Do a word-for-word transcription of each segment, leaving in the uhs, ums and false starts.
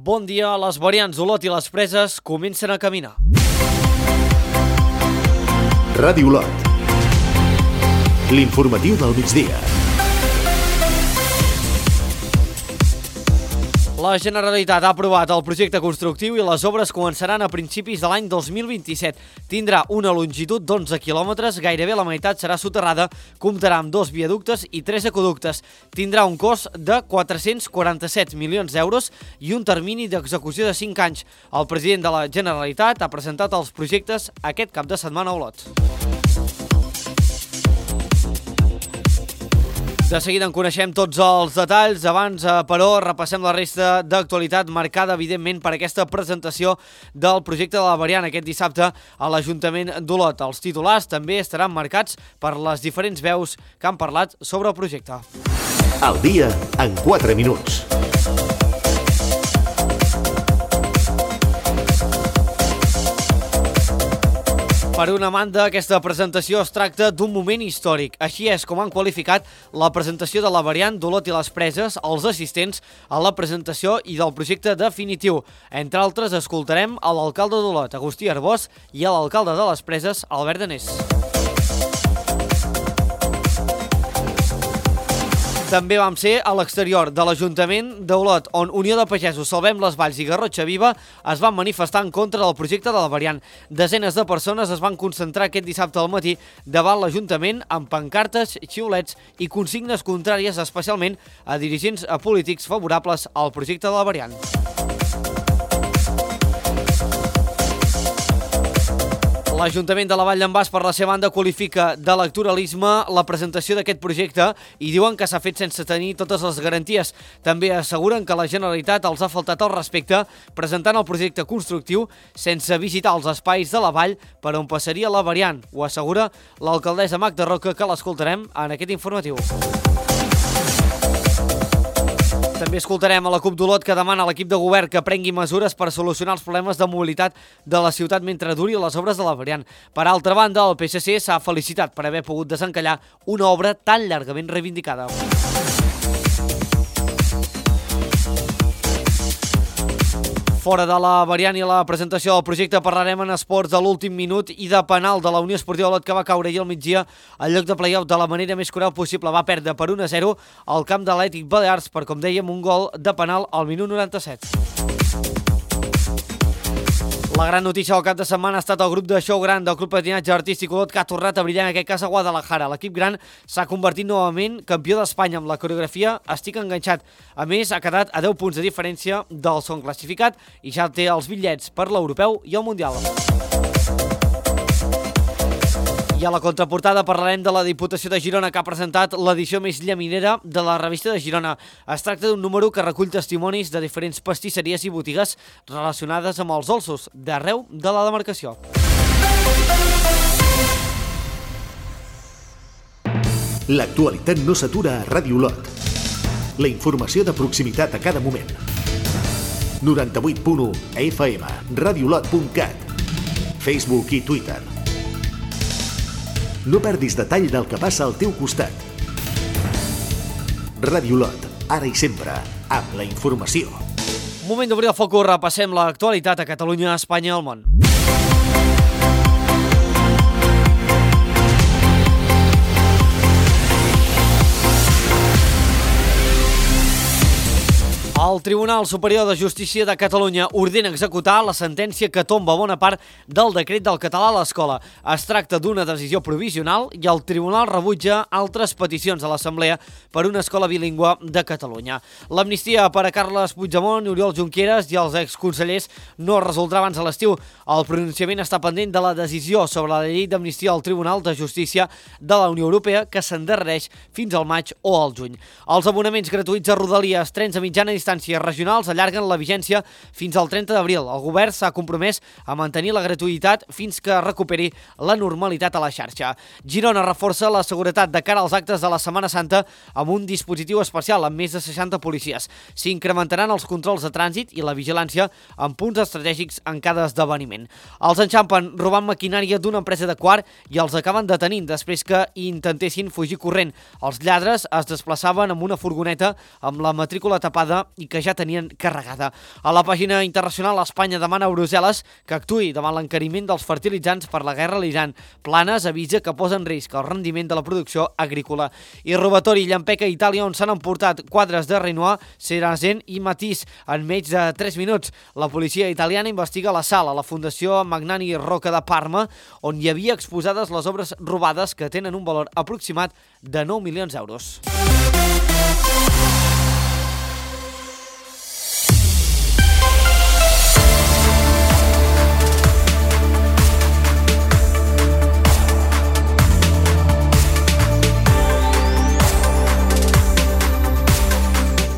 Bon dia, les variants Olot i les Preses comencen a caminar. Ràdio Olot. L'informatiu del migdia. La Generalitat ha aprovat el projecte constructiu i les obres començaran a principis de l'any dos mil vint-i-set. Tindrà una longitud d'onze quilòmetres, gairebé la meitat serà soterrada, comptarà amb dos viaductes i tres aqüeductes. Tindrà un cost de quatre-cents quaranta-set milions d'euros i un termini d'execució de cinc anys. El president de la Generalitat ha presentat els projectes aquest cap de setmana a Olot. De seguida en coneixem tots els detalls. Abans, però, repassem la resta d'actualitat marcada, evidentment, per aquesta presentació del projecte de la variant aquest dissabte a l'Ajuntament d'Olot. Els titulars també estaran marcats per les diferents veus que han parlat sobre el projecte. El dia en quatre minuts. Per una banda, aquesta presentació es tracta d'un moment històric. Així és com han qualificat la presentació de la variant d'Olot i les Preses els assistents a la presentació i del projecte definitiu. Entre altres, escoltarem a l'alcalde d'Olot, Agustí Arbós, i a l'alcalde de les Preses, Albert Danés. També vam ser a l'exterior de l'Ajuntament d'Olot, on Unió de Pagesos, Salvem les Valls i Garrotxa Viva es van manifestar en contra del projecte de la variant. Desenes de persones es van concentrar aquest dissabte al matí davant l'Ajuntament amb pancartes, xiulets i consignes contràries, especialment a dirigents polítics favorables al projecte de la variant. L'Ajuntament de la Vall d'en Bas, per la seva banda, qualifica d'electoralisme la presentació d'aquest projecte i diuen que s'ha fet sense tenir totes les garanties. També asseguren que la Generalitat els ha faltat el respecte presentant el projecte constructiu sense visitar els espais de la vall per on passaria la variant. Ho assegura l'alcaldessa Magda Roca, que l'escoltarem en aquest informatiu. També escoltarem a la CUP d'Olot, que demana a l'equip de govern que prengui mesures per solucionar els problemes de mobilitat de la ciutat mentre duri les obres de la variant. Per altra banda, el P S C s'ha felicitat per haver pogut desencallar una obra tan llargament reivindicada. Fora de la variant i la presentació del projecte, parlarem en esports de l'últim minut i de penal de la Unió Esportiva Olot, que va caure ahir al migdia al lloc de play-off de la manera més cruel possible. Va perdre per un a zero al camp de l'Atlètic Balears per, com dèiem, un gol de penal al minut noranta-set. La gran notícia del cap de setmana ha estat el grup de show gran del Club Patinatge Artístic Olot, que ha tornat a brillar, en aquest cas a Guadalajara. L'equip gran s'ha convertit novament campió d'Espanya amb la coreografia Estic enganxat. A més, ha quedat a deu punts de diferència del segon classificat i ja té els bitllets per l'Europeu i el Mundial. I a la contraportada parlarem de la Diputació de Girona, que ha presentat l'edició més llaminera de la revista de Girona. Es tracta d'un número que recull testimonis de diferents pastisseries i botigues relacionades amb els dolços d'arreu de la demarcació. L'actualitat no s'atura a Ràdio Olot. La informació de proximitat a cada moment. noranta-vuit punt u F M, radiolot punt cat, Facebook i Twitter. No perdis detall del que passa al teu costat. Ràdio Olot, ara i sempre, amb la informació. Moment d'obrir el focus, repassem l'actualitat a Catalunya, Espanya i el món. El Tribunal Superior de Justícia de Catalunya ordena executar la sentència que tomba bona part del decret del català a l'escola. Es tracta d'una decisió provisional i el Tribunal rebutja altres peticions a l'Assemblea per una escola bilingüe de Catalunya. L'amnistia per a Carles Puigdemont, Oriol Junqueras i els exconsellers no es resoldrà abans de l'estiu. El pronunciament està pendent de la decisió sobre la llei d'amnistia al Tribunal de Justícia de la Unió Europea, que s'endarrereix fins al maig o al juny. Els abonaments gratuïts a Rodalies, trens a mitjana distància regionals allarguen la vigència fins al trenta d'abril. El govern s'ha compromès a mantenir la gratuïtat fins que recuperi la normalitat a la xarxa. Girona reforça la seguretat de cara als actes de la Setmana Santa amb un dispositiu especial amb més de seixanta policies. S'incrementaran els controls de trànsit i la vigilància en punts estratègics en cada esdeveniment. Els enxampen robant maquinària d'una empresa de quart i els acaben detenint després que intentessin fugir corrent. Els lladres es desplaçaven amb una furgoneta amb la matrícula tapada i que ja tenien carregada. A la pàgina internacional, Espanya demana a Brussel·les que actuï davant l'encariment dels fertilitzants per la guerra a l'Iran. Planes avisa que posa en risc el rendiment de la producció agrícola. I robatori llampeca a Itàlia, on s'han emportat quadres de Renoir, Cerazen i Matisse en menys de tres minuts. La policia italiana investiga la sala a la Fundació Magnani Rocca de Parma, on hi havia exposades les obres robades que tenen un valor aproximat de nou milions d'euros.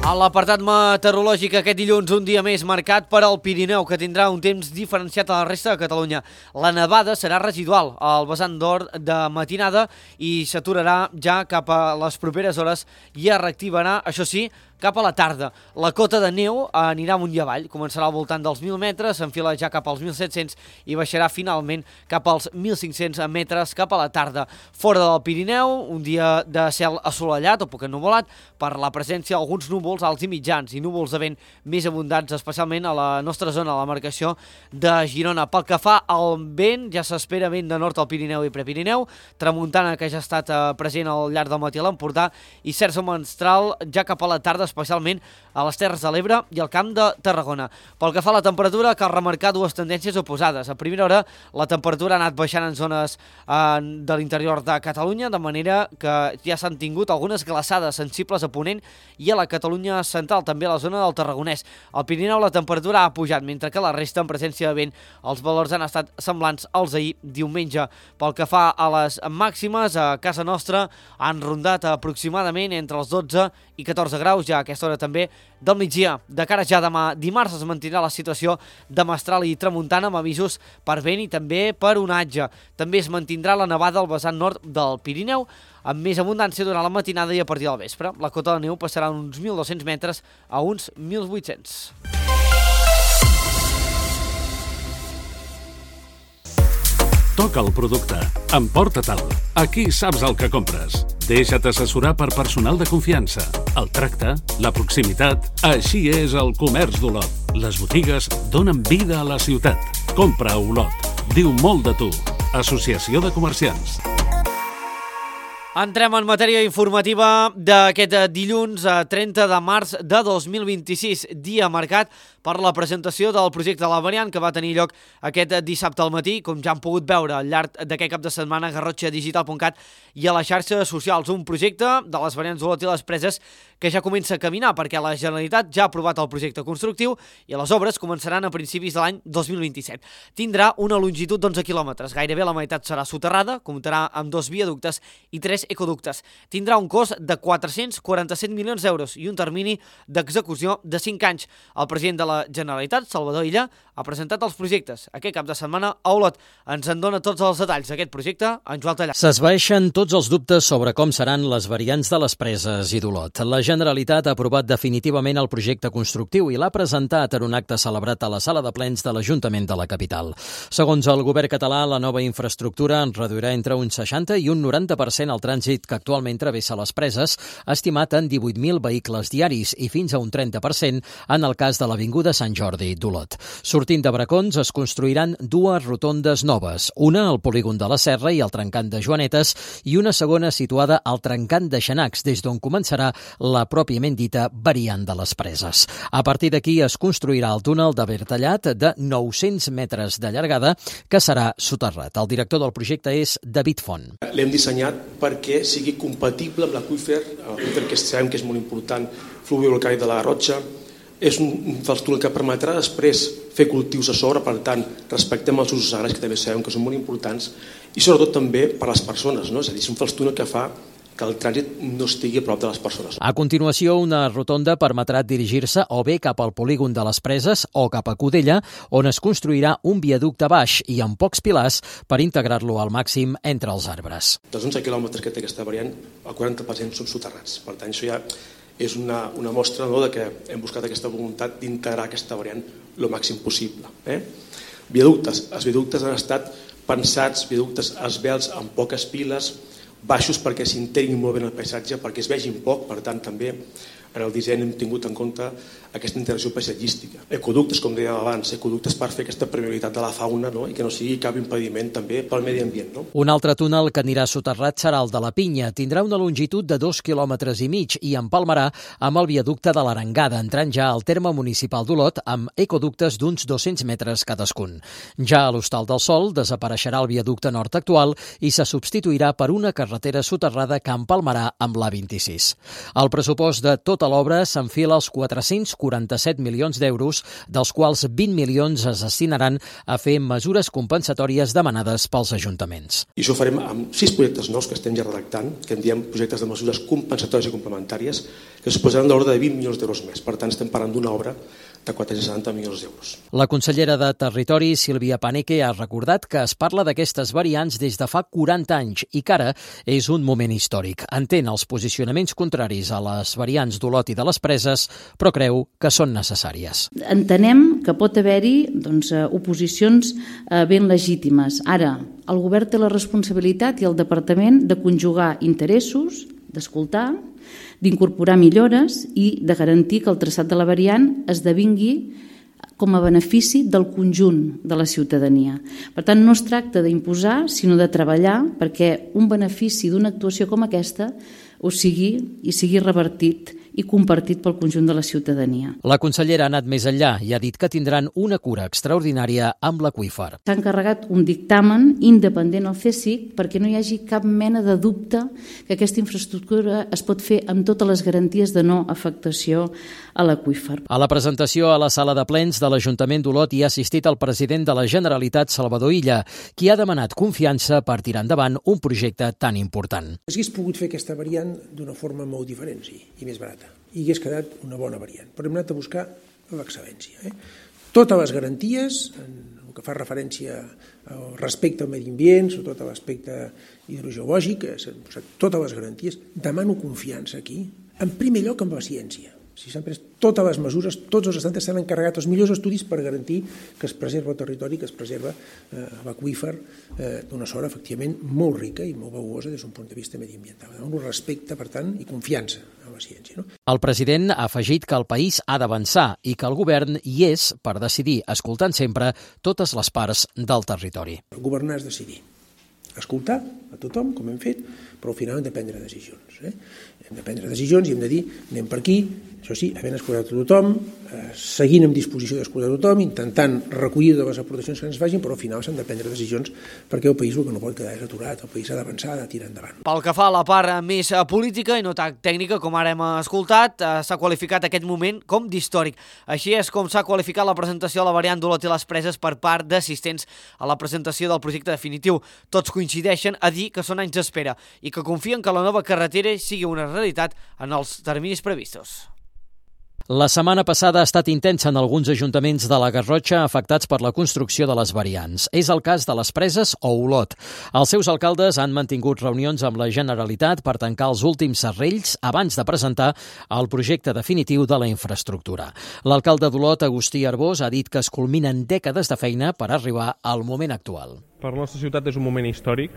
A l'apartat meteorològic aquest dilluns, un dia més marcat per al Pirineu, que tindrà un temps diferenciat a la resta de Catalunya. La nevada serà residual al vessant nord de matinada i s'aturarà ja cap a les properes hores i es reactivarà, això sí, cap a la tarda. La cota de neu anirà amunt i avall, començarà al voltant dels mil metres, s'enfila ja cap als mil set-cents i baixarà finalment cap als mil cinc-cents metres cap a la tarda. Fora del Pirineu, un dia de cel assolellat o poc ennuvolat per la presència d'alguns núvols alts i mitjans i núvols de vent més abundants, especialment a la nostra zona, a la marcació de Girona. Pel que fa al vent, ja s'espera vent de nord al Pirineu i Prepirineu, tramuntana que ja ha estat present al llarg del matí a l'Empordà i cert mestral ja cap a la tarda, especialment a les Terres de l'Ebre i al Camp de Tarragona. Pel que fa a la temperatura, cal remarcar dues tendències oposades. A primera hora, la temperatura ha anat baixant en zones eh, de l'interior de Catalunya, de manera que ja s'han tingut algunes glaçades sensibles a Ponent i a la Catalunya central, també a la zona del Tarragonès. Al Pirineu la temperatura ha pujat, mentre que la resta, en presència de vent, els valors han estat semblants als d'ahir diumenge. Pel que fa a les màximes, a casa nostra han rondat aproximadament entre els dotze i catorze graus, ja a aquesta hora també del migdia. De cara ja demà dimarts es mantindrà la situació de mestral i tramuntana amb avisos per vent i també per onatge. També es mantindrà la nevada al vessant nord del Pirineu, amb més abundància durant la matinada i a partir del vespre. La cota de neu passarà uns mil dos-cents metres a uns mil vuit-cents. Toca el producte. Emporta-te'l. Aquí saps el que compres. Deixa't assessorar per personal de confiança. El tracte, la proximitat... Així és el comerç d'Olot. Les botigues donen vida a la ciutat. Compra a Olot. Diu molt de tu. Associació de Comerciants. Entrem en matèria informativa d'aquest dilluns trenta de març de dos mil vint-i-sis, dia marcat per la presentació del projecte de la variant que va tenir lloc aquest dissabte al matí, com ja han pogut veure al llarg d'aquest cap de setmana a garrotxa digital punt cat i a les xarxes socials. Un projecte de les variants d'Olot i les Preses que ja comença a caminar perquè la Generalitat ja ha aprovat el projecte constructiu i les obres començaran a principis de l'any dos mil vint-i-set. Tindrà una longitud d'onze quilòmetres, gairebé la meitat serà soterrada, comptarà amb dos viaductes i tres ecoductes. Tindrà un cost de quatre-cents quaranta-set milions d'euros i un termini d'execució de cinc anys. El president de la Generalitat, Salvador Illa, ha presentat els projectes aquest cap de setmana a Olot. Ens en dona tots els detalls d'aquest projecte en Joan Tallar. S'esvaeixen tots els dubtes sobre com seran les variants de les Preses i d'Olot. La Generalitat ha aprovat definitivament el projecte constructiu i l'ha presentat en un acte celebrat a la sala de plens de l'Ajuntament de la capital. Segons el govern català, la nova infraestructura reduirà entre un seixanta i un noranta per cent el trànsit que actualment travessa les Preses, estimat en divuit mil vehicles diaris i fins a un trenta per cent en el cas de l'Avinguda Sant Jordi d'Olot. Sortint de Bracons es construiran dues rotondes noves, una al polígon de la Serra i al trencant de Joanetes i una segona situada al trencant de Xanacs, des d'on començarà la pròpiament dita variant de les Preses. A partir d'aquí es construirà el túnel de Bertallat de nou-cents metres de llargada que serà soterrat. El director del projecte és David Font. L'hem dissenyat perquè sigui compatible amb l'aqüífer, l'aqüífer que sabem que és molt important, fluvial-volcànic de la Garrotxa. És un dels túnels que permetrà després fer cultius a sobre, per tant, respectem els usos agraris que també sabem que són molt importants i sobretot també per a les persones, no? És a dir, és un dels túnels que fa que el trànsit no estigui a prop de les persones. A continuació, una rotonda permetrà dirigir-se o bé cap al polígon de les Preses o cap a Cudella, on es construirà un viaducte baix i amb pocs pilars per integrar-lo al màxim entre els arbres. Dels onze quilòmetres que té aquesta variant, el quaranta per cent són soterrats. Per tant, això ja és una, una mostra, no?, de que hem buscat aquesta voluntat d'integrar aquesta variant el màxim possible. Eh? Viaductes. Els viaductes han estat pensats, viaductes esvelts amb poques piles, baixos perquè s'integrin molt bé en el paisatge, perquè es vegin poc, per tant també en el disseny hem tingut en compte aquesta integració paisatgística. Ecoductes, com deia abans, ecoductes per fer aquesta permeabilitat de la fauna, no? I que no sigui cap impediment també pel medi ambient. No? Un altre túnel que anirà soterrat serà el de la Pinya. Tindrà una longitud de dos quilòmetres i mig i empalmarà amb el viaducte de l'Arengada, entrant ja al terme municipal d'Olot amb ecoductes d'uns dos-cents metres cadascun. Ja a l'Hostal del Sol desapareixerà el viaducte nord actual i se substituirà per una carretera soterrada que empalmarà amb l'A vint-i-sis. El pressupost de tota l'obra s'enfila als quatre-cents quaranta-set milions d'euros, dels quals vint milions es destinaran a fer mesures compensatòries demanades pels ajuntaments. I això ho farem amb sis projectes nous que estem ja redactant, que en diem projectes de mesures compensatòries i complementàries, que suposaran d'ordre de vint milions d'euros més. Per tant, estem parlant d'una obra de quatre-cents setanta milions d'euros. La consellera de Territori, Sílvia Paneque, ha recordat que es parla d'aquestes variants des de fa quaranta anys i que ara és un moment històric. Entén els posicionaments contraris a les variants d'Olot i de les Preses, però creu que són necessàries. Entenem que pot haver-hi doncs, oposicions ben legítimes. Ara, el govern té la responsabilitat i el departament de conjugar interessos, d'escoltar, d'incorporar millores i de garantir que el traçat de la variant esdevingui com a benefici del conjunt de la ciutadania. Per tant, no es tracta d'imposar, sinó de treballar perquè un benefici d'una actuació com aquesta ho sigui i sigui revertit i compartit pel conjunt de la ciutadania. La consellera ha anat més enllà i ha dit que tindran una cura extraordinària amb l'aqüífer. S'ha encarregat un dictamen independent al C S I C perquè no hi hagi cap mena de dubte que aquesta infraestructura es pot fer amb totes les garanties de no afectació a l'aqüífer. A la presentació a la sala de plens de l'Ajuntament d'Olot hi ha assistit el president de la Generalitat, Salvador Illa, qui ha demanat confiança per tirar endavant un projecte tan important. S'hagués pogut fer aquesta variant d'una forma molt diferent, sí, i més barata, i hagués quedat una bona variant, però hem anat a buscar l'excel·lència. Eh? Totes les garanties, en el que fa referència al respecte al medi ambient, sobretot a l'aspecte hidrogeològic, totes les garanties, demano confiança aquí, en primer lloc amb la ciència. Si s'han pres totes les mesures, tots els estats s'han encarregat els millors estudis per garantir que es preserva el territori, que es preserva eh, l'aqüífer eh, d'una sort efectivament molt rica i molt valuosa des d'un punt de vista mediambiental. Un respecte, per tant, i confiança a la ciència. No? El president ha afegit que el país ha d'avançar i que el govern hi és per decidir, escoltant sempre totes les parts del territori. Governar és decidir. Escoltar a tothom, com hem fet, però al final hem de prendre decisions. Eh? Hem de prendre decisions i hem de dir anem per aquí, això sí, havent escoltat a tothom, eh, seguint amb disposició d'escoltar a tothom, intentant recollir de les aportacions que ens facin, però al final s'han de prendre decisions perquè el país el que no pot quedar és aturat, el país ha d'avançar, ha de tirar endavant. Pel que fa a la part més política i no tan tècnica, com ara hem escoltat, eh, s'ha qualificat aquest moment com d'històric. Així és com s'ha qualificat la presentació de la variant d'Olot i les Preses per part d'assistents a la presentació del projecte definitiu. Tots coincideixen a dir que són anys d'espera i que confien que la nova carretera sigui una realitat en els terminis previstos. La setmana passada ha estat intensa en alguns ajuntaments de la Garrotxa afectats per la construcció de les variants. És el cas de les Preses o Olot. Els seus alcaldes han mantingut reunions amb la Generalitat per tancar els últims serrells abans de presentar el projecte definitiu de la infraestructura. L'alcalde d'Olot, Agustí Arbós, ha dit que es culminen dècades de feina per arribar al moment actual. Per la nostra ciutat és un moment històric.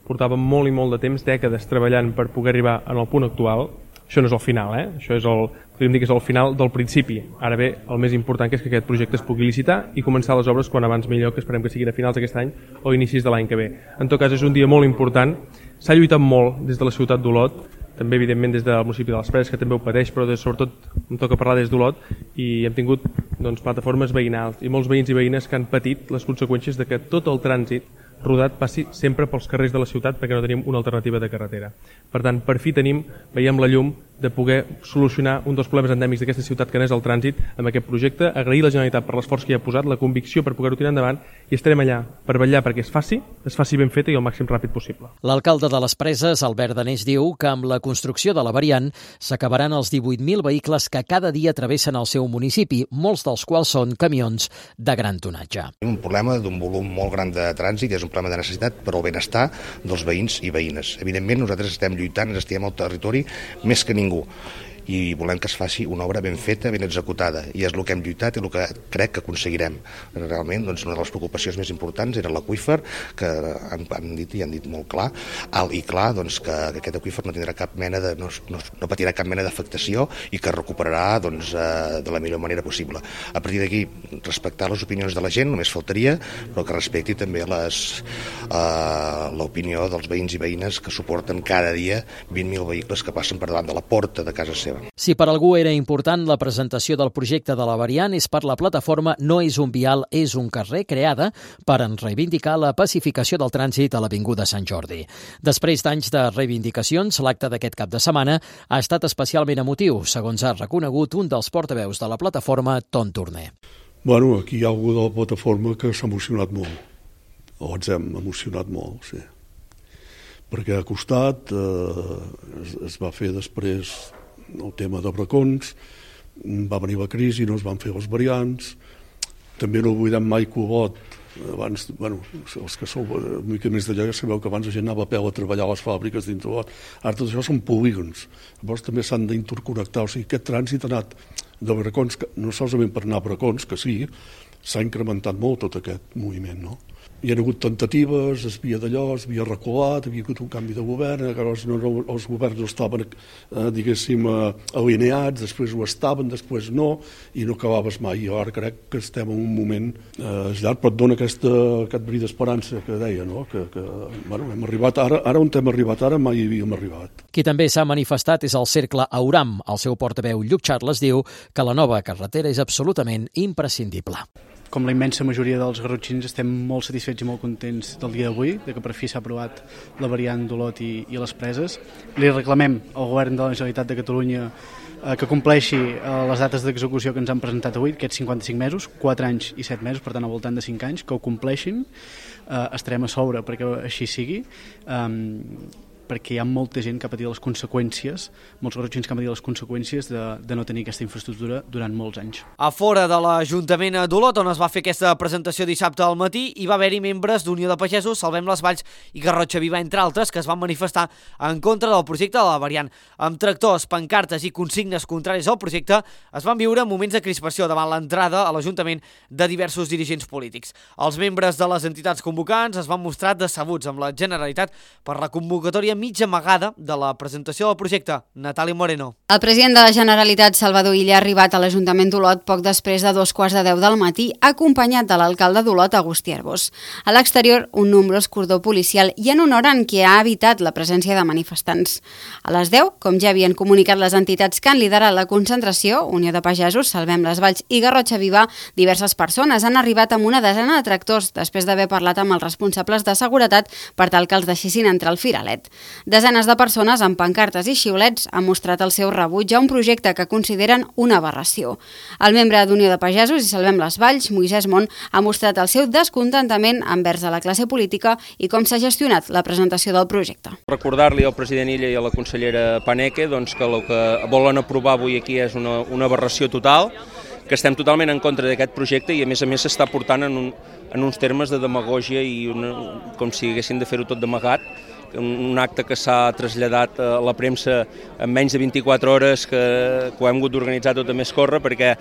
Portàvem molt i molt de temps, dècades, treballant per poder arribar al punt actual. Això no és el final, eh? Això és el, podríem dir que és el final del principi. Ara bé, el més important que és que aquest projecte es pugui licitar i començar les obres quan abans millor, que esperem que siguin a finals d'aquest any o inicis de l'any que ve. En tot cas, és un dia molt important. S'ha lluitat molt des de la ciutat d'Olot, també evidentment des del municipi de les Preses, que també ho pateix, però des, sobretot em toca parlar des d'Olot, i hem tingut doncs, plataformes veïnals i molts veïns i veïnes que han patit les conseqüències de que tot el trànsit rodat passi sempre pels carrers de la ciutat perquè no tenim una alternativa de carretera. Per tant, per fi tenim, veiem la llum de poder solucionar un dels problemes endèmics d'aquesta ciutat que n'és el trànsit amb aquest projecte, agrair la Generalitat per l'esforç que hi ha posat, la convicció per poder-ho tirar endavant i estarem allà per vetllar perquè es faci, es faci ben feta i el màxim ràpid possible. L'alcalde de les Preses, Albert Danés, diu que amb la construcció de la variant s'acabaran els divuit mil vehicles que cada dia travessen el seu municipi, molts dels quals són camions de gran tonatge. Un problema d'un volum molt gran de trànsit, és un problema de necessitat per al benestar dels veïns i veïnes. Evidentment, nosaltres estem lluitant, ens estiem al territori més que ningú. i volem que es faci una obra ben feta, ben executada, i és el que hem lluitat i el que crec que aconseguirem. Realment, doncs, una de les preocupacions més importants era l'aqüífer, que han, han dit i han dit molt clar, alt i clar, doncs, que, que aquest aqüífer no tindrà cap mena de, no, no, no patirà cap mena d'afectació i que recuperarà, doncs, eh, de la millor manera possible. A partir d'aquí, respectar les opinions de la gent, només faltaria, però que respecti també les, eh, l'opinió dels veïns i veïnes que suporten cada dia vint mil vehicles que passen per davant de la porta de casa seva. Si per algú era important la presentació del projecte de la variant, és per la plataforma No és un vial, és un carrer, creada per reivindicar la pacificació del trànsit a l'Avinguda Sant Jordi. Després d'anys de reivindicacions, l'acte d'aquest cap de setmana ha estat especialment emotiu, segons ha reconegut un dels portaveus de la plataforma, Ton Torner. Bueno, aquí hi ha algú de la plataforma que s'ha emocionat molt, o ens hem emocionat molt, sí. Perquè ha costat, eh, es, es va fer després el tema de bracons, va venir la crisi, no es van fer les variants, també no oblidem mai que Olot, abans, bueno, els que sou una mica més d'allà ja sabeu que abans la gent anava a peu a treballar a les fàbriques dins d'Olot, ara tot això són polígons, llavors també s'han d'interconnectar, o sigui, aquest trànsit ha anat de bracons, no solament per anar a bracons, que sí, s'ha incrementat molt tot aquest moviment, no? Hi ha hagut tentatives, es havia d'allò, es havia reculat, havia hagut un canvi de govern, llavors no, no, els governs no estaven, eh, diguéssim, eh, alineats, després ho estaven, després no, i no acabaves mai. Jo ara crec que estem en un moment eh, llarg, però et dona aquesta, aquest bri d'esperança que deia, no? que, que bueno, hem arribat ara, ara on hem arribat, ara mai hi havíem arribat. Qui també s'ha manifestat és el Cercle Auram. El seu portaveu, Lluc Charles, diu que la nova carretera és absolutament imprescindible. Com la immensa majoria dels garrotxins estem molt satisfets i molt contents del dia d'avui, de que per fi s'ha aprovat la variant d'Olot i, i les Preses. Li reclamem al govern de la Generalitat de Catalunya eh, que compleixi eh, les dates d'execució que ens han presentat avui, aquests cinquanta-cinc mesos, quatre anys i set mesos, per tant al voltant de cinc anys, que ho compleixin, eh, estarem a sobre perquè així sigui, eh, perquè hi ha molta gent que ha patit les conseqüències, molts garrotxins que han patit les conseqüències de, de no tenir aquesta infraestructura durant molts anys. A fora de l'Ajuntament d'Olot, on es va fer aquesta presentació dissabte al matí, hi va haver-hi membres d'Unió de Pagesos, Salvem les Valls i Garrotxa Viva, entre altres, que es van manifestar en contra del projecte de la variant. Amb tractors, pancartes i consignes contraris al projecte, es van viure moments de crispació davant l'entrada a l'Ajuntament de diversos dirigents polítics. Els membres de les entitats convocants es van mostrar decebuts amb la Generalitat per la convocatòria mitja amagada de la presentació del projecte. Natàlia Moreno. El president de la Generalitat, Salvador Illa, ha arribat a l'Ajuntament d'Olot poc després de dos quarts de deu del matí, acompanyat de l'alcalde d'Olot, Agustí Arbós. A l'exterior, un nombrós cordó policial i en una hora en què ha evitat la presència de manifestants. A les deu, com ja havien comunicat les entitats que han liderat la concentració, Unió de Pagesos, Salvem les Valls i Garrotxa Viva, diverses persones han arribat amb una desena de tractors després d'haver parlat amb els responsables de seguretat per tal que els deixessin entrar al firalet. Desenes de persones amb pancartes i xiulets han mostrat el seu rebuig a un projecte que consideren una aberració. El membre d'Unió de Pagesos i Salvem les Valls, Moisès Mont, ha mostrat el seu descontentament envers a la classe política i com s'ha gestionat la presentació del projecte. Recordar-li al president Illa i a la consellera Paneque doncs, que el que volen aprovar avui aquí és una, una aberració total, que estem totalment en contra d'aquest projecte i a més a més s'està portant en, un, en uns termes de demagògia i una, com si haguessin de fer-ho tot d'amagat, un acte que s'ha traslladat a la premsa en menys de vint-i-quatre hores, que, que ho hem hagut d'organitzar tot a més córrer, perquè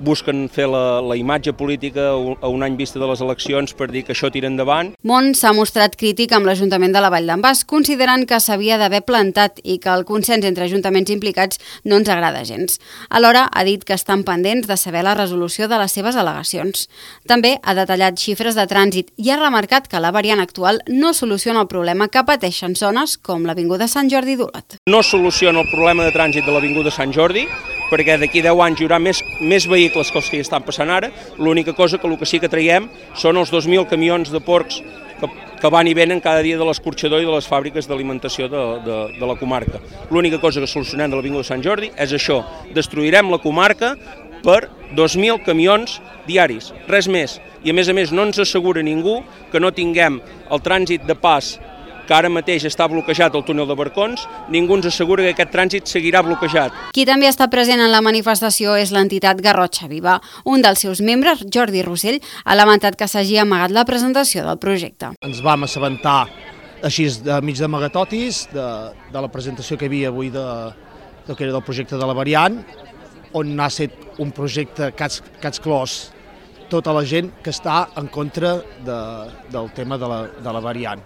busquen fer la, la imatge política a un any vista de les eleccions per dir que això tira endavant. Mont s'ha mostrat crític amb l'Ajuntament de la Vall d'en Bas, considerant que s'havia d'haver plantat i que el consens entre ajuntaments implicats no ens agrada gens. Alhora ha dit que estan pendents de saber la resolució de les seves al·legacions. També ha detallat xifres de trànsit i ha remarcat que la variant actual no soluciona el problema que pateixen zones com l'Avinguda Sant Jordi d'Olot. No soluciona el problema de trànsit de l'Avinguda Sant Jordi, perquè d'aquí deu anys hi haurà més, més vehicles que els que hi estan passant ara. L'única cosa que el que sí que traiem són els dos mil camions de porcs que, que van i venen cada dia de l'escorxador i de les fàbriques d'alimentació de, de, de la comarca. L'única cosa que solucionem de l'Avinguda Sant Jordi és això, destruirem la comarca per dos mil camions diaris, res més. I a més a més no ens assegura ningú que no tinguem el trànsit de pas que ara mateix està bloquejat el túnel de Barcons, ningú ens assegura que aquest trànsit seguirà bloquejat. Qui també està present en la manifestació és l'entitat Garrotxa Viva. Un dels seus membres, Jordi Rossell, ha lamentat que s'hagi amagat la presentació del projecte. Ens vam assabentar així de mig d'amagatotis de, de la presentació que hi havia avui de, del que era del projecte de la variant, on ha estat un projecte que ha exclòs tota la gent que està en contra de, del tema de la, de la variant.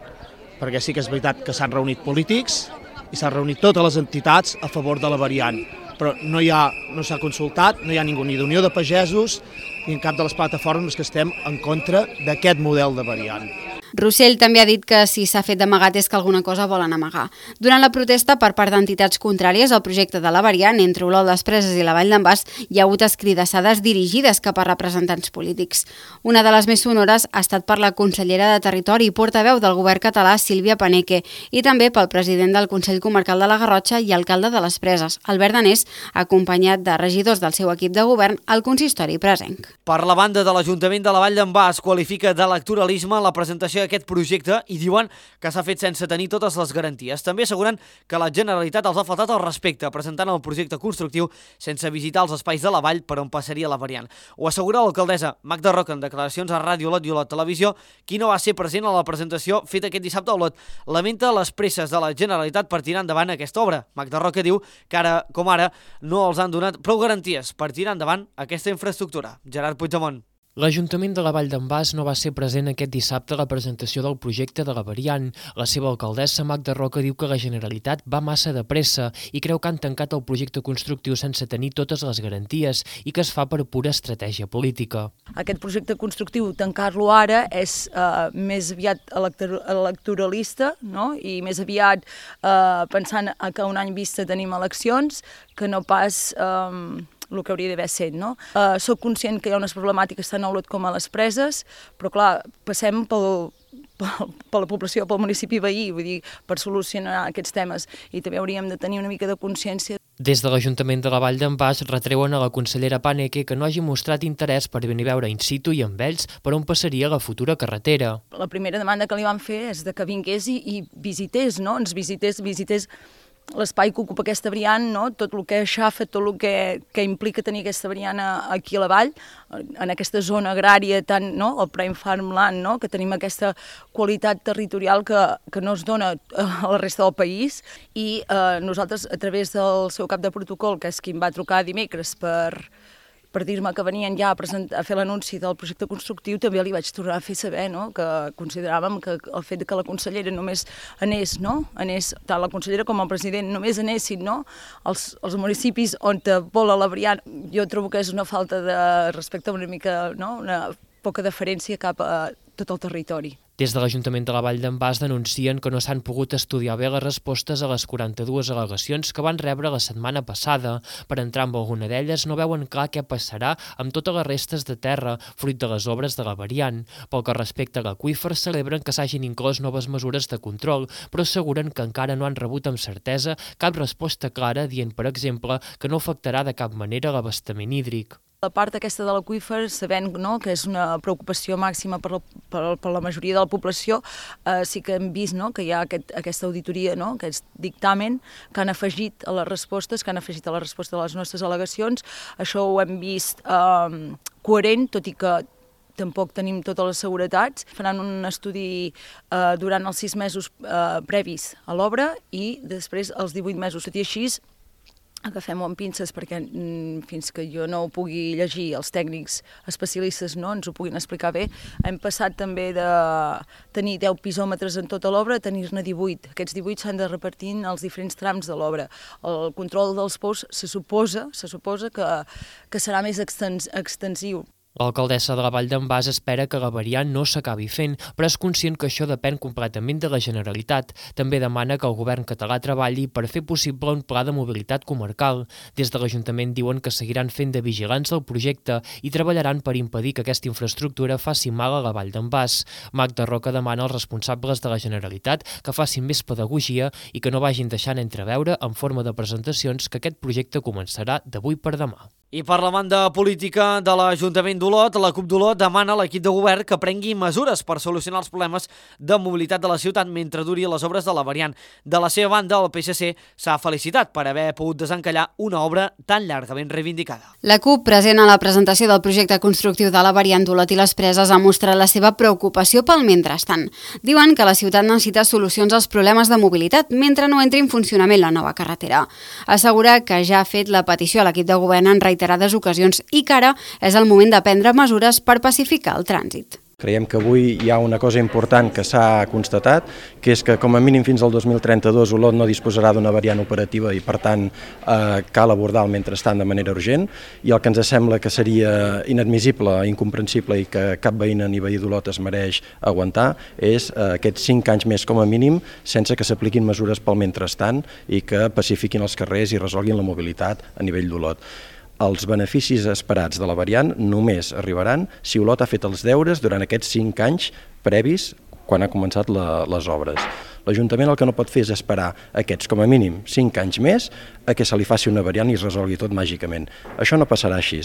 Perquè sí que és veritat que s'han reunit polítics i s'han reunit totes les entitats a favor de la variant, però no hi ha, no s'ha consultat, no hi ha ningú ni d'Unió de Pagesos ni en cap de les plataformes que estem en contra d'aquest model de variant. Rossell també ha dit que si s'ha fet d'amagat és que alguna cosa volen amagar. Durant la protesta per part d'entitats contràries al projecte de la variant entre Olot, les Preses i la Vall d'en Bas, hi ha hagut escridassades dirigides cap a representants polítics. Una de les més sonores ha estat per la consellera de Territori i portaveu del govern català, Sílvia Paneque, i també pel president del Consell Comarcal de la Garrotxa i alcalde de les Preses, Albert Danés, acompanyat de regidors del seu equip de govern al consistori presenc. Per la banda de l'Ajuntament de la Vall d'en Bas qualifica d'electoralisme la presentació d'aquest projecte i diuen que s'ha fet sense tenir totes les garanties. També asseguren que la Generalitat els ha faltat el respecte presentant el projecte constructiu sense visitar els espais de la vall per on passaria la variant. Ho assegura l'alcaldessa Magda Roca en declaracions a Ràdio Olot i Olot Televisió, qui no va ser present a la presentació feta aquest dissabte a Olot. Lamenta les presses de la Generalitat per tirar endavant aquesta obra. Magda Roca diu que ara, com ara, no els han donat prou garanties per tirar endavant aquesta infraestructura. Gerard Puigdemont. L'Ajuntament de la Vall d'en Bas no va ser present aquest dissabte a la presentació del projecte de la variant. La seva alcaldessa, Magda Roca, diu que la Generalitat va massa de pressa i creu que han tancat el projecte constructiu sense tenir totes les garanties i que es fa per pura estratègia política. Aquest projecte constructiu, tancar-lo ara, és eh, més aviat electoralista, no? I més aviat eh, pensant que un any vista tenim eleccions, que no pas Eh, el que hauria d'haver sent, no? Uh, soc conscient que hi ha unes problemàtiques tant a Olot com a les Preses, però clar, passem pel, pel, per la població, pel municipi veí, vull dir, per solucionar aquests temes, i també hauríem de tenir una mica de consciència. Des de l'Ajuntament de la Vall d'en Bas retreuen a la consellera Paneque que no hagi mostrat interès per venir a veure in situ i amb ells per on passaria la futura carretera. La primera demanda que li van fer és de que vingués i, i visités, no? Ens visités, visités l'espai que ocupa aquesta variant, no? Tot el que aixafa, tot el que, que implica tenir aquesta variant aquí a la vall, en aquesta zona agrària, tant, no? El Prime Farmland, no? Que tenim aquesta qualitat territorial que, que no es dona a la resta del país, i eh, nosaltres, a través del seu cap de protocol, que és qui em va trucar dimecres per... per dir-me que venien ja a, presentar, a fer l'anunci del projecte constructiu, també li vaig tornar a fer saber, no? Que consideràvem que el fet que la consellera només anés, no? Anés, tant la consellera com el president només anessin, no? Els, els municipis on vola la variant, jo trobo que és una falta de respecte, una mica, no? Una poca deferència cap a tot el territori. Des de l'Ajuntament de la Vall d'en Bas denuncien que no s'han pogut estudiar bé les respostes a les quaranta-dues al·legacions que van rebre la setmana passada. Per entrar amb alguna d'elles no veuen clar què passarà amb totes les restes de terra, fruit de les obres de la variant. Pel que respecta a l'aqüífer, celebren que s'hagin inclòs noves mesures de control, però asseguren que encara no han rebut amb certesa cap resposta clara, dient, per exemple, que no afectarà de cap manera l'abastament hídric. La part aquesta de l'aqüífer, sabent, no, que és una preocupació màxima per la, per, per la majoria de la població, eh, sí que hem vist, no, que hi ha aquest, aquesta auditoria, no, aquest dictamen que han afegit a les respostes, que han afegit a la resposta de les nostres al·legacions. Això ho hem vist eh, coherent, tot i que tampoc tenim totes les seguretats. Faran un estudi eh, durant els sis mesos eh, previs a l'obra i després els divuit mesos. Tot i així, agafem-ho amb pinces perquè mm, fins que jo no ho pugui llegir, els tècnics especialistes no ens ho puguin explicar bé. Hem passat també de tenir deu pisòmetres en tota l'obra a tenir-ne divuit. Aquests divuit s'han de repartir en els diferents trams de l'obra. El control dels pous se suposa, se suposa que, que serà més extens, extensiu. L'alcaldessa de la Vall d'en Bas espera que la variant no s'acabi fent, però és conscient que això depèn completament de la Generalitat. També demana que el govern català treballi per fer possible un pla de mobilitat comarcal. Des de l'Ajuntament diuen que seguiran fent de vigilants del projecte i treballaran per impedir que aquesta infraestructura faci mal a la Vall d'en Bas. Magda Roca demana als responsables de la Generalitat que facin més pedagogia i que no vagin deixant entreveure en forma de presentacions que aquest projecte començarà d'avui per demà. I per la banda política de l'Ajuntament d'Olot, la CUP d'Olot demana a l'equip de govern que prengui mesures per solucionar els problemes de mobilitat de la ciutat mentre duri les obres de la variant. De la seva banda, el P S C s'ha felicitat per haver pogut desencallar una obra tan llargament reivindicada. La CUP, present a la presentació del projecte constructiu de la variant d'Olot i les Preses, ha mostrat la seva preocupació pel mentrestant. Diuen que la ciutat necessita solucions als problemes de mobilitat mentre no entri en funcionament la nova carretera. Assegura que ja ha fet la petició a l'equip de govern en reiterades ocasions i que ara és el moment de prendre mesures per pacificar el trànsit. Creiem que avui hi ha una cosa important que s'ha constatat, que és que com a mínim fins al dos mil trenta-dos Olot no disposarà d'una variant operativa i per tant eh, cal abordar el mentrestant de manera urgent, i el que ens sembla que seria inadmissible, incomprensible i que cap veïna ni veí d'Olot es mereix aguantar és eh, aquests cinc anys més com a mínim sense que s'apliquin mesures pel mentrestant i que pacifiquin els carrers i resolguin la mobilitat a nivell d'Olot. Els beneficis esperats de la variant només arribaran si Olot ha fet els deures durant aquests cinc anys previs quan ha començat la, les obres. L'Ajuntament el que no pot fer és esperar aquests, com a mínim, cinc anys més a que se li faci una variant i es resolgui tot màgicament. Això no passarà així.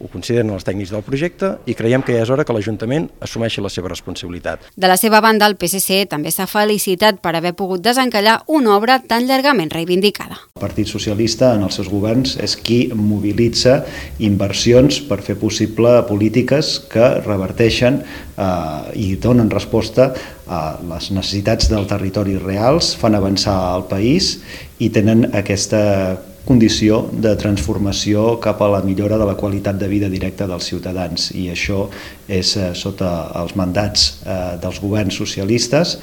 Ho consideren els tècnics del projecte i creiem que ja és hora que l'Ajuntament assumeixi la seva responsabilitat. De la seva banda, el P S C també s'ha felicitat per haver pogut desencallar una obra tan llargament reivindicada. El Partit Socialista en els seus governs és qui mobilitza inversions per fer possible polítiques que reverteixen eh, i donen resposta a les necessitats del territori reals, fan avançar el país i tenen aquesta condició de transformació cap a la millora de la qualitat de vida directa dels ciutadans, i això és eh, sota els mandats eh, dels governs socialistes,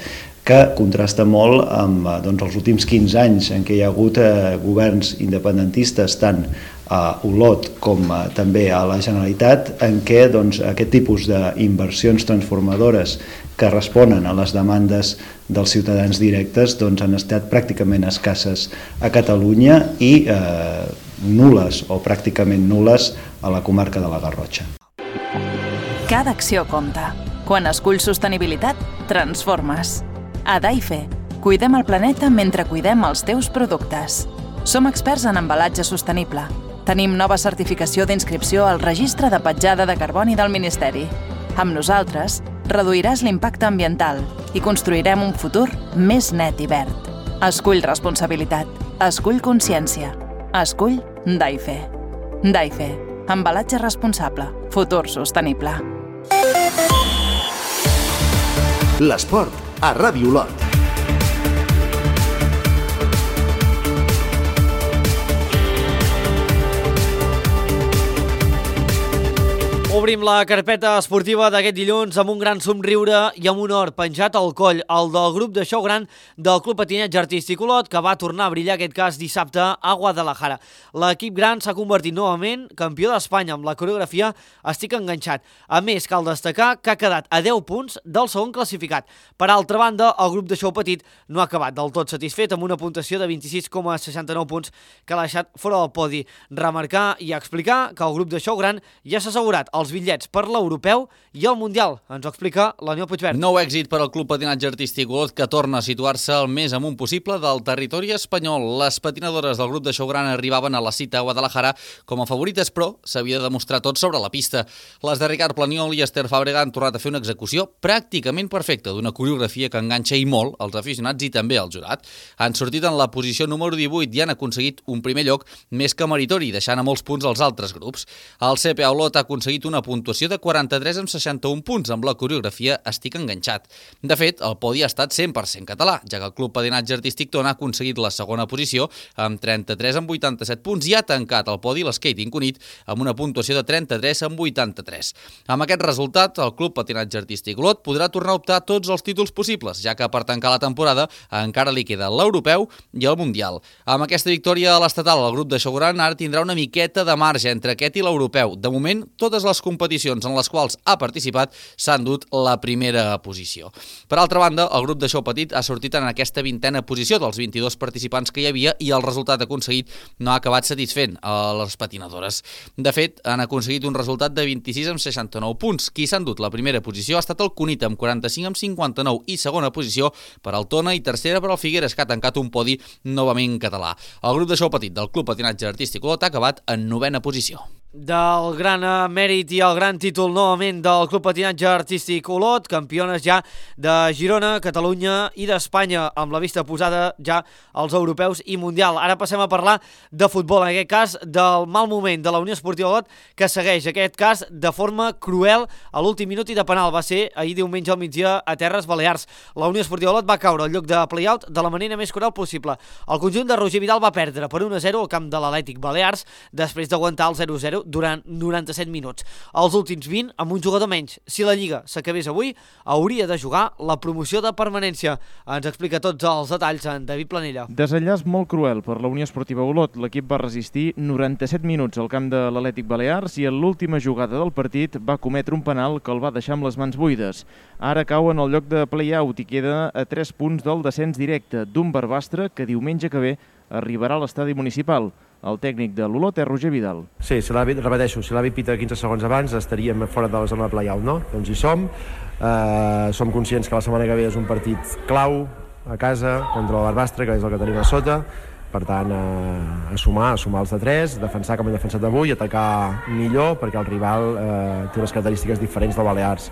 que contrasta molt amb eh, doncs, els últims quinze anys en què hi ha hagut eh, governs independentistes tant a Olot com eh, també a la Generalitat, en què doncs, aquest tipus d'inversions transformadores que responen a les demandes dels ciutadans directes doncs, han estat pràcticament escasses a Catalunya i eh, nules o pràcticament nules a la comarca de la Garrotxa. Cada acció compta. Quan esculls sostenibilitat, transformes. A Daife, cuidem el planeta mentre cuidem els teus productes. Som experts en embalatge sostenible. Tenim nova certificació d'inscripció al Registre de Petjada de Carboni del Ministeri. Amb nosaltres, reduiràs l'impacte ambiental i construirem un futur més net i verd. Escull responsabilitat. Escull consciència. Escull Daife. Daife. Embalatge responsable. Futur sostenible. L'esport a Ràdio Olot. Obrim la carpeta esportiva d'aquest dilluns amb un gran somriure i amb un or penjat al coll, el del grup de xou gran del Club Patinatge Artístic Olot, que va tornar a brillar aquest cas dissabte a Guadalajara. L'equip gran s'ha convertit novament campió d'Espanya amb la coreografia Estic enganxat. A més, cal destacar que ha quedat a deu punts del segon classificat. Per altra banda, el grup de xou petit no ha acabat del tot satisfet amb una puntuació de vint-i-sis coma seixanta-nou punts que l'ha deixat fora del podi. Remarcar i explicar que el grup de xou gran ja s'ha assegurat els bitllets per l'Europeu i el Mundial. Ens ho explica l'Aniol Puigverd. Nou èxit per al Club Patinatge Artístic Olot, que torna a situar-se al més amunt possible del territori espanyol. Les patinadores del grup de xou gran arribaven a la cita a Guadalajara com a favorites, però s'havia de demostrar tot sobre la pista. Les de Ricard Planiol i Esther Fàbrega han tornat a fer una execució pràcticament perfecta d'una coreografia que enganxa i molt els aficionats i també el jurat. Han sortit en la posició número divuit i han aconseguit un primer lloc més que meritori, deixant a molts punts als altres grups. El C P A Olot ha aconseguit una puntuació de quaranta-tres amb seixanta-un punts amb la coreografia Estic enganxat. De fet, el podi ha estat cent per cent català, ja que el Club Patinatge Artístic Tona ha aconseguit la segona posició amb trenta-tres amb vuitanta-set punts i ha tancat el podi l'Skating Cunit amb una puntuació de trenta-tres amb vuitanta-tres. Amb aquest resultat, el Club Patinatge Artístic Olot podrà tornar a optar tots els títols possibles, ja que per tancar la temporada encara li queda l'Europeu i el Mundial. Amb aquesta victòria a l'estatal, el grup de xou gran ara tindrà una miqueta de marge entre aquest i l'Europeu. De moment, totes les competicions en les quals ha participat s'han dut la primera posició. Per altra banda, el grup de xou petit ha sortit en aquesta vintena posició dels vint-i-dos participants que hi havia i el resultat aconseguit no ha acabat satisfent a les patinadores. De fet, han aconseguit un resultat de vint-i-sis amb seixanta-nou punts. Qui s'han dut la primera posició ha estat el Cunit amb quaranta-cinc amb cinquanta-nou i segona posició per al Tona i tercera per al Figueres, que ha tancat un podi novament català. El grup de xou petit del Club Patinatge Artístic Olot ha acabat en novena posició. del gran mèrit i el gran títol novament del Club Patinatge Artístic Olot, campiones ja de Girona, Catalunya i d'Espanya, amb la vista posada ja als europeus i mundial. Ara passem a parlar de futbol, en aquest cas del mal moment de la Unió Esportiva Olot, que segueix aquest cas de forma cruel a l'últim minut i de penal. Va ser ahir diumenge al migdia a Terres Balears. La Unió Esportiva Olot va caure al lloc de play-out de la manera més cruel possible. El conjunt de Roger Vidal va perdre per un a zero al camp de l'Atlètic Balears després d'aguantar el zero a zero durant noranta-set minuts. Els últims vint amb un jugador menys. Si la Lliga s'acabés avui, hauria de jugar la promoció de permanència. Ens explica tots els detalls en David Planella. Desenllaç molt cruel per la Unió Esportiva Olot. L'equip va resistir noranta-set minuts al camp de l'Atlètic Balears i en l'última jugada del partit va cometre un penal que el va deixar amb les mans buides. Ara cau en el lloc de play-out i queda a tres punts del descens directe d'un Barbastre que diumenge que ve arribarà a l'estadi municipal. El tècnic de l'Olot és Roger Vidal. Sí, si l'àrbit, repeteixo, si l'àrbit pita quinze segons abans estaríem fora de la zona de play-out, no? Doncs hi som, eh, som conscients que la setmana que ve és un partit clau a casa contra el Barbastre, que és el que tenim a sota, per tant, eh, a sumar, a sumar els de tres, defensar com hem defensat avui, atacar millor, perquè el rival eh, té unes característiques diferents del Balears.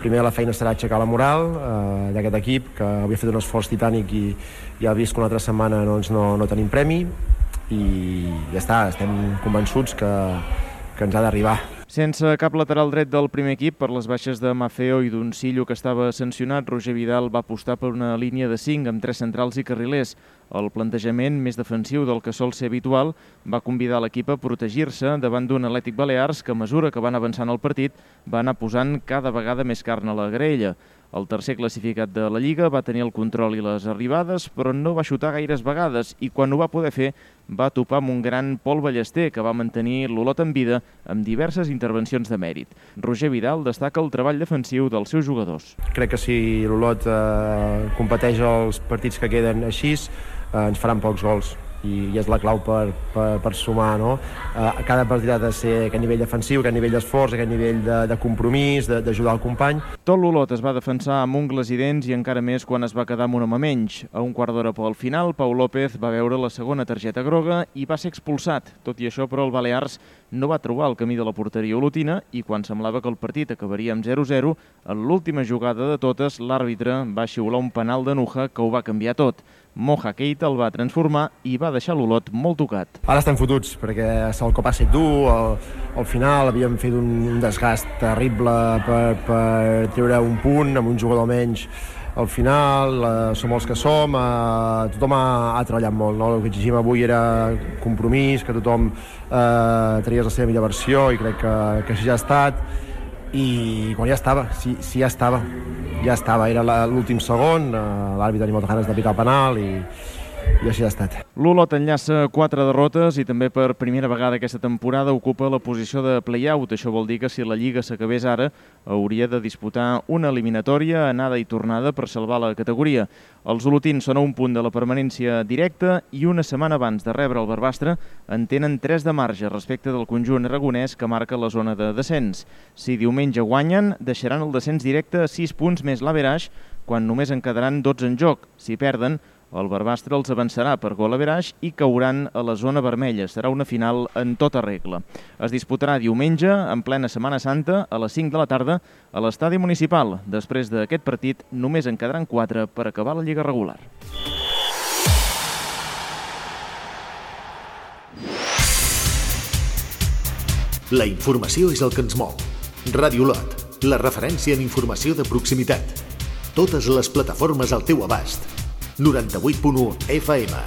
Primer la feina serà aixecar la moral eh, d'aquest equip, que havia fet un esforç titànic i ja ha vist que una altra setmana doncs, no, no tenim premi, i ja està, estem convençuts que, que ens ha d'arribar. Sense cap lateral dret del primer equip, per les baixes de Mafeo i d'Uncillo, que estava sancionat, Roger Vidal va apostar per una línia de cinc amb tres centrals i carrilers. El plantejament més defensiu del que sol ser habitual va convidar l'equip a protegir-se davant d'un Atlètic Balears que, a mesura que van avançant el partit, va anar posant cada vegada més carn a la graella. El tercer classificat de la Lliga va tenir el control i les arribades, però no va xutar gaires vegades i quan ho va poder fer va topar amb un gran Pol Ballester que va mantenir l'Olot en vida amb diverses intervencions de mèrit. Roger Vidal destaca el treball defensiu dels seus jugadors. Crec que si l'Olot eh, competeix els partits que queden així, eh, ens faran pocs gols. I, i és la clau per, per, per sumar, no? Eh, cada partit ha de ser aquest nivell defensiu, aquest nivell d'esforç, aquest nivell de, de compromís, d'ajudar el company. Tot l'Olot es va defensar amb ungles i dents i encara més quan es va quedar amb un home menys. A un quart d'hora pel final, Pau López va veure la segona targeta groga i va ser expulsat. Tot i això, però, el Balears no va trobar el camí de la porteria olotina i quan semblava que el partit acabaria amb zero a zero, en l'última jugada de totes, l'àrbitre va xiular un penal de Nuja que ho va canviar tot. Moja Keita el va transformar i va deixar l'Olot molt tocat. Ara estem fotuts, perquè el cop ha estat dur, al, al final havíem fet un, un desgast terrible per, per treure un punt amb un jugador menys. Al final eh, som els que som, eh, tothom ha, ha treballat molt, no? El que exigim avui era compromís, que tothom eh, tragués la seva millor versió i crec que, que així ja ha estat. I quan ja estava, sí, sí ja estava, ja estava, era l'últim segon, l'àrbitre tenia moltes ganes de picar el penal i, i així ha estat. L'Olot enllaça quatre derrotes i també per primera vegada aquesta temporada ocupa la posició de play-out. Això vol dir que si la Lliga s'acabés ara hauria de disputar una eliminatòria, anada i tornada per salvar la categoria. Els olotins són a un punt de la permanència directa i una setmana abans de rebre el Barbastre en tenen tres de marge respecte del conjunt aragonès que marca la zona de descens. Si diumenge guanyen, deixaran el descens directe a sis punts més l'averaix, quan només en quedaran dotze en joc. Si perden, el Barbastre els avançarà per gol averaix i cauran a la zona vermella. Serà una final en tota regla. Es disputarà diumenge, en plena Setmana Santa, a les cinc de la tarda, a l'estadi municipal. Després d'aquest partit, només en quedaran quatre per acabar la Lliga regular. La informació és el que ens mou. Ràdio Olot, la referència en informació de proximitat. Totes les plataformes al teu abast. noranta-vuit punt u F M,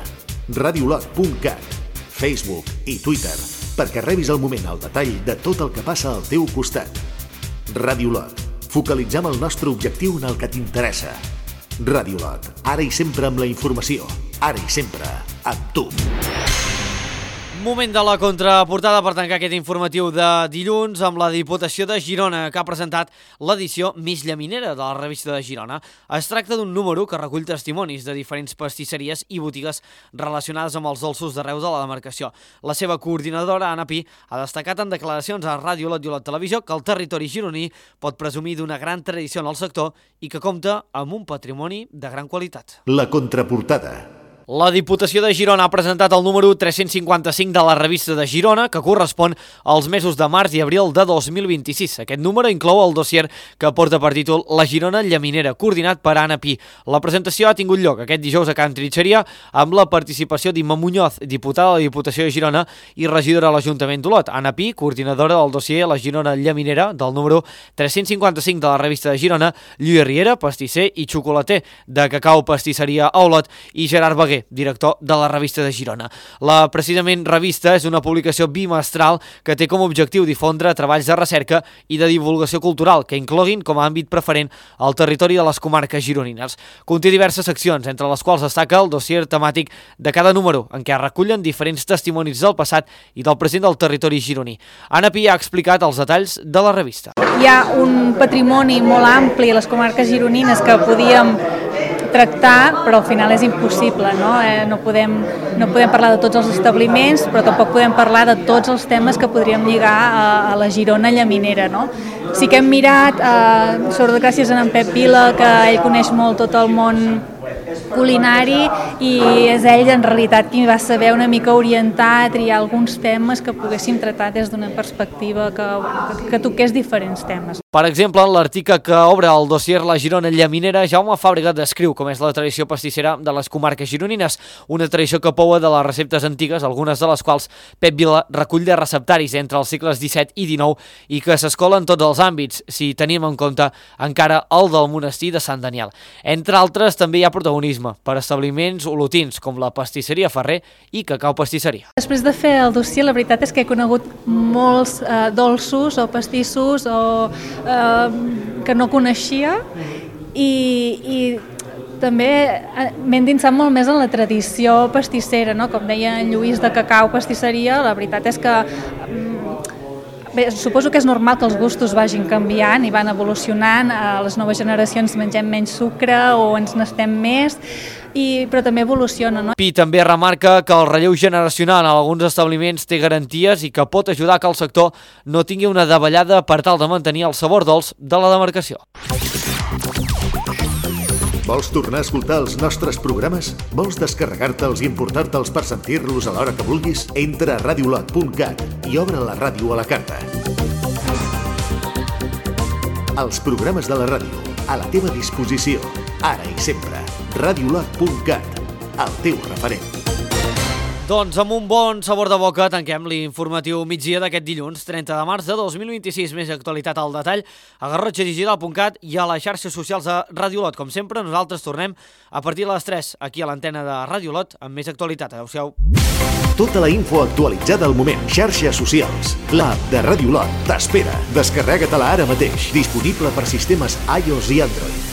radiolot punt cat, Facebook i Twitter, perquè rebis al moment el detall de tot el que passa al teu costat. Ràdio Olot, focalitzem el nostre objectiu en el que t'interessa. Ràdio Olot, ara i sempre amb la informació, ara i sempre amb tu. Moment de la contraportada per tancar aquest informatiu de dilluns amb la Diputació de Girona, que ha presentat l'edició més llaminera de la revista de Girona. Es tracta d'un número que recull testimonis de diferents pastisseries i botigues relacionades amb els dolços d'arreu de la demarcació. La seva coordinadora, Anna Pi, ha destacat en declaracions a Ràdio Olot i Olot Televisió que el territori gironí pot presumir d'una gran tradició en el sector i que compta amb un patrimoni de gran qualitat. La contraportada. La Diputació de Girona ha presentat el número tres-cents cinquanta-cinc de la revista de Girona, que correspon als mesos de març i abril de dos mil vint-i-sis. Aquest número inclou el dossier que porta per títol La Girona Llaminera, coordinat per Anna Pi. La presentació ha tingut lloc aquest dijous a Can Trinxeria amb la participació d'Imma Muñoz, diputada de la Diputació de Girona i regidora a l'Ajuntament d'Olot. Anna Pi, coordinadora del dossier La Girona Llaminera, del número tres-cents cinquanta-cinc de la revista de Girona, Lluís Riera, pastisser i xocolater de Cacau Pastisseria a Olot, i Gerard Beguer, director de la revista de Girona. La precisament revista és una publicació bimestral que té com a objectiu difondre treballs de recerca i de divulgació cultural que incloguin com a àmbit preferent el territori de les comarques gironines. Conté diverses seccions, entre les quals destaca el dossier temàtic de cada número, en què es recullen diferents testimonis del passat i del present del territori gironí. Anna Pi ha explicat els detalls de la revista. Hi ha un patrimoni molt ampli a les comarques gironines que podíem tractar, però al final és impossible, no? Eh, no podem, no podem parlar de tots els establiments, però tampoc podem parlar de tots els temes que podríem lligar a, a la Girona llaminera, no? Sí que hem mirat, eh, sobretot gràcies a en Pep Vila, que ell coneix molt tot el món culinari, i és ell en realitat qui va saber una mica orientar, triar alguns temes que poguéssim tractar des d'una perspectiva que, que, que toqués diferents temes. Per exemple, en l'article que obre el dossier La Girona Llaminera, Jaume Fàbrega descriu com és la tradició pastissera de les comarques gironines, una tradició que poua de les receptes antigues, algunes de les quals Pep Vila recull de receptaris entre els segles disset i dinou i que s'escola en tots els àmbits, si tenim en compte encara el del monestir de Sant Daniel. Entre altres, també hi ha protagonisme per establiments olotins com la Pastisseria Ferrer i Cacau Pastisseria. Després de fer el dossier, la veritat és que he conegut molts eh, dolços o pastissos o, eh, que no coneixia, i, i també m'he endinsat molt més en la tradició pastissera, no? Com deia en Lluís de Cacau Pastisseria, la veritat és que bé, suposo que és normal que els gustos vagin canviant i van evolucionant, a les noves generacions mengem menys sucre o ens n'estem més, i, però també evoluciona, no? Pi també remarca que el relleu generacional en alguns establiments té garanties i que pot ajudar que el sector no tingui una davallada per tal de mantenir el sabor dolç de la demarcació. Vols tornar a escoltar els nostres programes? Vols descarregar-te'ls i importar-te'ls per sentir-los a l'hora que vulguis? Entra a radiolot punt cat i obre la ràdio a la carta. Els programes de la ràdio, a la teva disposició, ara i sempre. radiolot punt cat, el teu referent. Doncs amb un bon sabor de boca tanquem l'informatiu migdia d'aquest dilluns, trenta de març de dos mil vint-i-sis. Més actualitat al detall a garrotxa digital punt cat i a les xarxes socials de Ràdio Olot. Com sempre, nosaltres tornem a partir de les tres aquí a l'antena de Ràdio Olot amb més actualitat. Adéu-siau. Tota la info actualitzada al moment. Xarxes socials. L'app de Ràdio Olot t'espera. Descarrega-te-la ara mateix. Disponible per sistemes iOS i Android.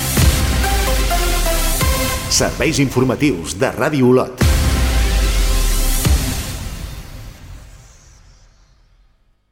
Serveis informatius de Ràdio Olot.